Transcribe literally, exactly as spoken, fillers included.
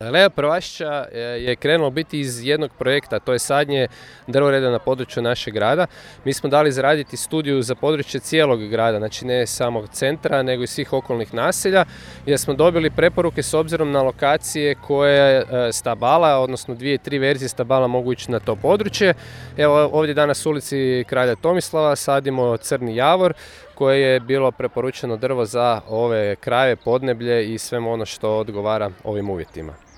Alea Prvašća je krenulo biti iz jednog projekta, to je sadnje drvoreda na području našeg grada. Mi smo dali izraditi studiju za područje cijelog grada, znači ne samo centra, nego i svih okolnih naselja, jer smo dobili preporuke s obzirom na lokacije koje stabala, odnosno dvije, tri verzije stabala mogu ići na to područje. Evo ovdje danas u ulici Kralja Tomislava sadimo crni javor, koje je bilo preporučeno drvo za ove krajeve, podneblje i sve ono što odgovara ovim uvjetima.